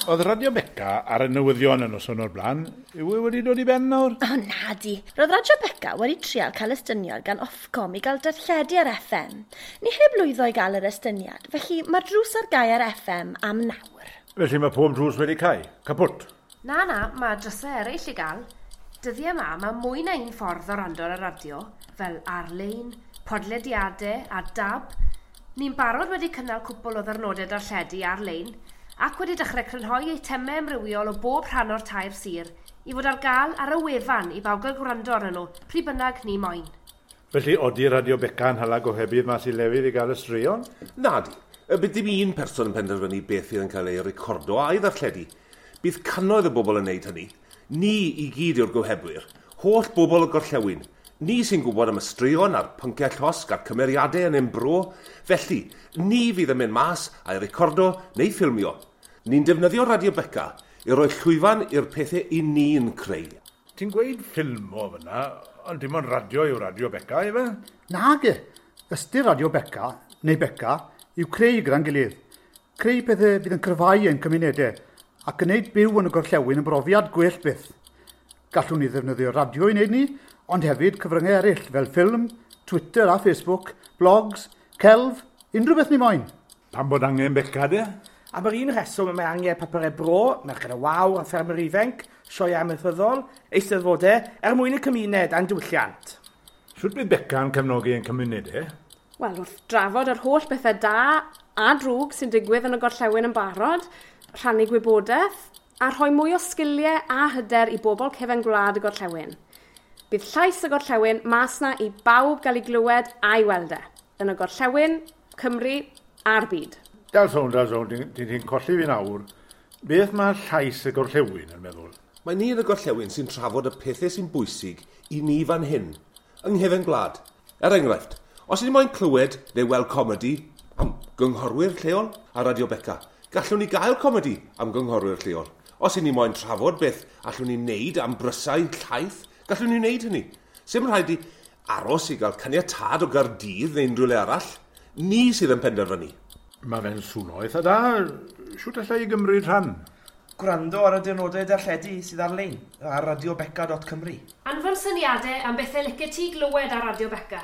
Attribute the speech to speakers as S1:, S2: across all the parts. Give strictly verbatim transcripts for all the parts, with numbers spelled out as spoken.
S1: Oedd Radio Beca ar y newyddion y noson o'r blaen. Yw e wedi dod i ben nawr?
S2: O, na di. Roedd Radio Beca wedi trial cael estyniad gan Ofcom i gael darlledu ar F M. Ni heb lwyddo i gael yr estyniad, felly mae'r drws ar gau ar F M am nawr.
S1: Felly mae pob drws wedi cau? Kaput?
S3: Na, na, mae drysau eraill i gael. Dyddiau yma, mae mwy na un ffordd o wrando ar y radio, fel ar-lein, podlediadau a D A B. Ni'n barod wedi cynnal cwpl o ddyrnodau darlledu ar-lein ac wedi dechrau crynhoi eitemau amrywiol o bob rhan o'r tair sir i fod ar gael ar y wefan i bawb gael gwrando arnyn nhw, pryd bynnag ni moyn.
S1: Felly, odi Radio Beca yn hala gohebydd mas i lefydd i gael y straeon?
S4: Nadi, y bydd dim un person yn penderfynu beth fydd yn cael ei recordo a'i ddarlledu. Bydd cannoedd o bobl yn neud hynny. Ni i gyd yw'r gohebwyr. Holl bobl y gorllewin. Ni sy'n gwybod am y straeon a'r pynciau llosg a'r cymeriadau yn ein bro. Felly, ni fydd yn mynd mas a'i recordo neu ffilmio. Ni'n defnyddio Radio Beca i roi llwyfan i'r pethau i ni'n creu.
S1: Ti'n gweud ffilmo fyna, ond dim ond radio yw Radio Beca, ife?
S5: Nage, ystyr Radio Beca, neu Beca, yw creu gyda'n gilydd. Creu pethau fydd yn cryfhau ein cymunedau ac yn gwneud byw yn y gorllewin yn brofiad gwell byth. Gallwn ni ddefnyddio radio i wneud ni, ond hefyd cyfryngau eraill fel ffilm, Twitter a Facebook, blogs, celf, unrhyw beth ni moyn.
S1: Pam bod angen Beca de?
S6: Am yr un rheswm y mae angen papurau bro, Merched y Wawr a Ffermwyr Ifanc, sioe amaethyddol, eisteddfodau, er mwyn y cymuned a'n diwylliant.
S1: Sut bydd Beca yn cefnogi ein cymunedau?
S7: Wel, wrth drafod yr holl bethau da a drwg sy'n digwydd yn y gorllewin yn barod, rhannu gwybodaeth, a rhoi mwy o sgiliau a hyder i bobl cefen gwlad y gorllewin. Bydd llais y gorllewin mas na i bawb gael ei glywed a'i weld e. Yn y gorllewin, Cymru a'r byd.
S1: Dal sôn, dal sôn, ti'n ti, ti colli fi nawr. Beth mae llais y gorllewin yn meddwl?
S4: Mae ni yn y gorllewin sy'n trafod y pethau sy'n bwysig i ni fan hyn, yng nghefen gwlad. Er enghraifft, os ydym moyn clywed neu weld comedi am gynghorwyr lleol ar Radio Beca, gallwn ni gael comedi am gynghorwyr lleol. Os ydym ni moyn trafod beth allwn ni wneud am brysau llaeth, gallwn ni wneud hynny. Sim rhaid i aros i gael caniatâd o Gaerdydd neu unrhyw le arall. Ni sydd yn penderfynu.
S1: Mae fe'n swno eitha da. Siwt allai i gymryd rhan?
S6: Gwrando ar y diwrnodau darlledu sydd ar-lein ar radiobeca dot cymru.
S3: Anfon syniadau am bethau licio ti glywed ar Radio Beca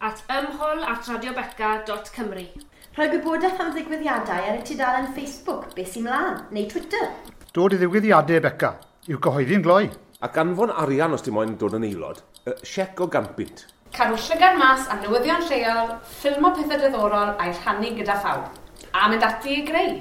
S3: at ymhol at radiobeca dot cymru.
S2: Rhoi gwybodaeth am ddigwyddiadau ar y tudalen Facebook, Be Sy'n Mlaen, neu Twitter.
S5: Dod i ddigwyddiadau Beca, i'w gyhoeddi'n gloi.
S4: Ac anfon arian os ti moyn dod yn aelod, uh, siec o gant punt.
S7: Cadw llygad mas am newyddion lleol, ffilmo pethau diddorol a'i rhannu gyda phawb. A mynd ati i greu.